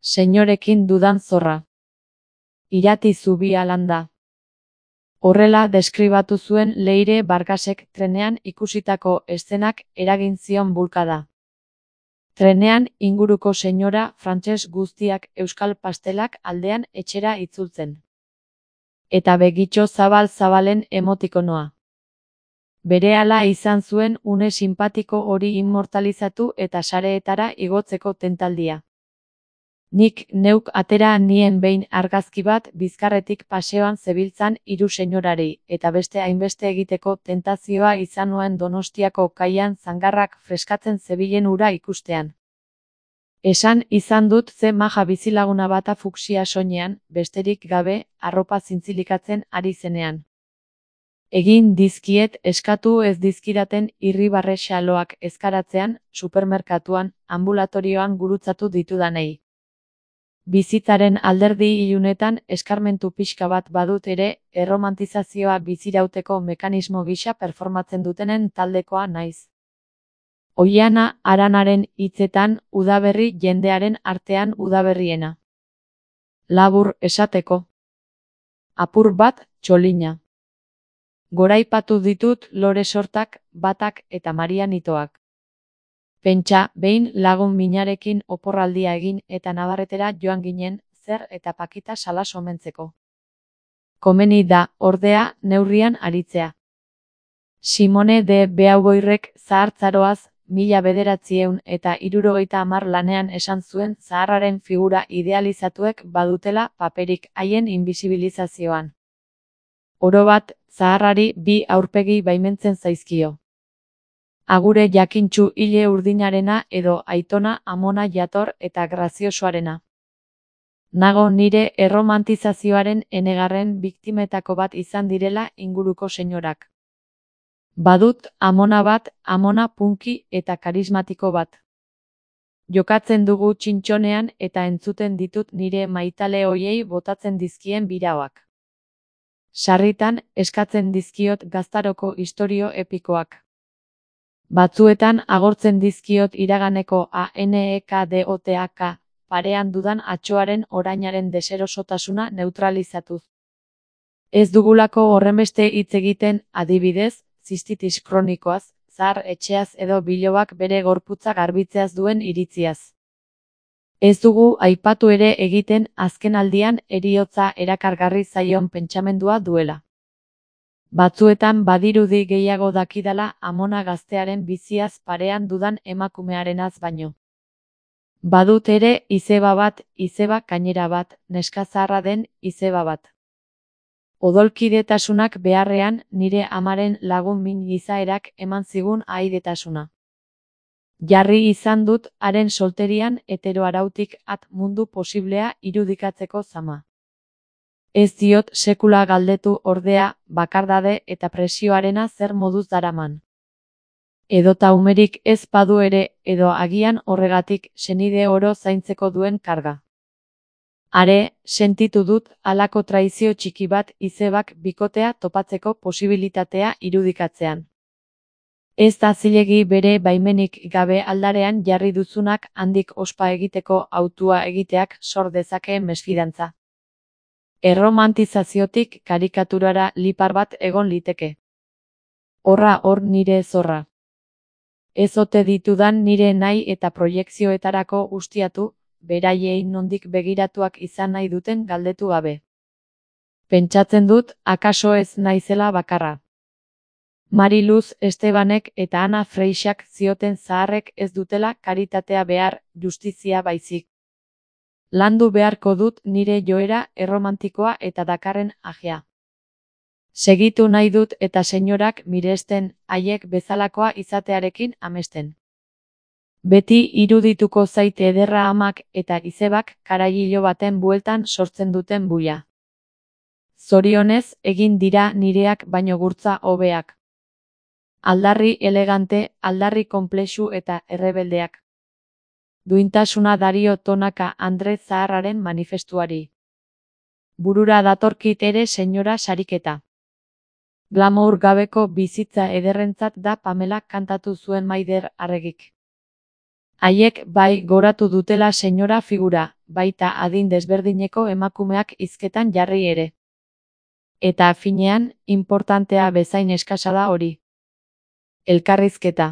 Seinorekin dudan zorra. Irati zubia landa. Horrela deskribatu zuen Leire Vargasek trenean ikusitako eszenak eragin zion bulkada. Trenean inguruko senyora frantses guztiak euskal pastelak aldean etxera itzultzen. Eta begitxo zabal-zabalen emotikonoa. Berehala izan zuen une sinpatiko hori immortalizatu eta sareetara igotzeko tentaldia. Nik neuk atera nien behin argazki bat bizkarretik paseoan zebiltzan hiru senyorari, eta beste hainbeste egiteko tentazioa izan nuen Donostiako kaian zangarrak freskatzen zebilen ura ikustean. Esan izan dut ze maja bizilaguna bata fuksia soinean, besterik gabe, arropa zintzilikatzen ari zenean. Egin dizkiet eskatu ez dizkidaten irribarre xaloak ezkaratzean, supermerkatuan, ambulatorioan gurutzatu ditudanei. Bizitzaren alderdi ilunetan eskarmentu pixka bat badut ere, erromantizazioa bizirauteko mekanismo gisa performatzen dutenen taldekoa naiz. Oiana Aranaren hitzetan, udaberri jendearen artean udaberriena. Labur esateko. Apur bat txolina. Goraipatu ditut lore sortak, batak eta marianitoak. Pentsa, behin lagun minarekin oporraldia egin eta Nabarretera joan ginen, zer eta pakita salas omentzeko. Komeni da, ordea, neurrian aritzea. Simone de Beauvoirrek zahartzaroaz, 1970 lanean esan zuen zaharraren figura idealizatuek badutela paperik haien invisibilizazioan. Orobat, zaharrari bi aurpegi baimentzen zaizkio. Agure jakintsu hile urdinarena edo aitona amona jator eta graziosoarena. Nago nire erromantizazioaren enegarren biktimetako bat izan direla inguruko senyorak. Badut amona bat, amona punki eta karismatiko bat. Jokatzen dugu txintxonean eta entzuten ditut nire maitale hoiei botatzen dizkien biraoak. Sarritan eskatzen dizkiot gaztaroko istorio epikoak. Batzuetan agortzen dizkiot iraganeko ANEKDOTAK, parean dudan atxoaren orainaren deserosotasuna neutralizatuz. Ez dugulako horrenbeste hitz egiten, adibidez, zistitis kronikoaz, zahar etxeaz edo bilobak bere gorputza garbitzeaz duen iritziaz. Ez dugu aipatu ere egiten azkenaldian heriotza erakargarri zaion pentsamendua duela. Batzuetan badirudi gehiago dakidala amona gaztearen biziaz parean dudan emakumearenaz baino. Badut ere izeba bat, izeba gainera bat, neska zaharra den izeba bat. Odolkidetasunak beharrean nire amaren lagun min gizaerak eman zigun ahaidetasuna. Jarri izan dut haren solterian heteroarautik at mundu posiblea irudikatzeko zama. Ez diot sekula galdetu ordea, bakardade eta presioarena zer moduz daraman. Edota umerik ez badu ere, edo agian horregatik senide oro zaintzeko duen karga. Are, sentitu dut halako traizio txiki bat izebak bikotea topatzeko posibilitatea irudikatzean. Ez da zilegi bere baimenik gabe aldarean jarri duzunak handik ospa egiteko hautua egiteak sor dezake mesfidantza. Erromantizaziotik karikaturara lipar bat egon liteke. Horra hor nire zorra. Ez ote ditudan nire nahi eta proiekzioetarako ustiatu, beraiei nondik begiratuak izan nahi duten galdetu gabe. Pentsatzen dut, akaso ez naizela bakarra. Mariluz Estebanek eta Ana Freixak zioten zaharrek ez dutela karitatea behar, justizia baizik. Landu beharko dut nire joera erromantikoa eta dakarren ajea. Segitu nahi dut eta senyorak miresten, haiek bezalakoa izatearekin amesten. Beti irudituko zait ederra amak eta izebak karailo baten bueltan sortzen duten buia. Zorionez egin dira nireak baino gurtza hobeak. Aldarri elegante, aldarri konplexu eta errebeldeak. Duintasuna dario tonaka Andre Zaharraren manifestuari. Burura datorkit ere senyora sariketa. Glamour gabeko bizitza ederrentzat da Pamela kantatu zuen Maider Arregik. Haiek bai goratu dutela senyora figura, baita adin desberdineko emakumeak hizketan jarri ere. Eta finean, inportantea bezain eskasa da hori. Elkarrizketa.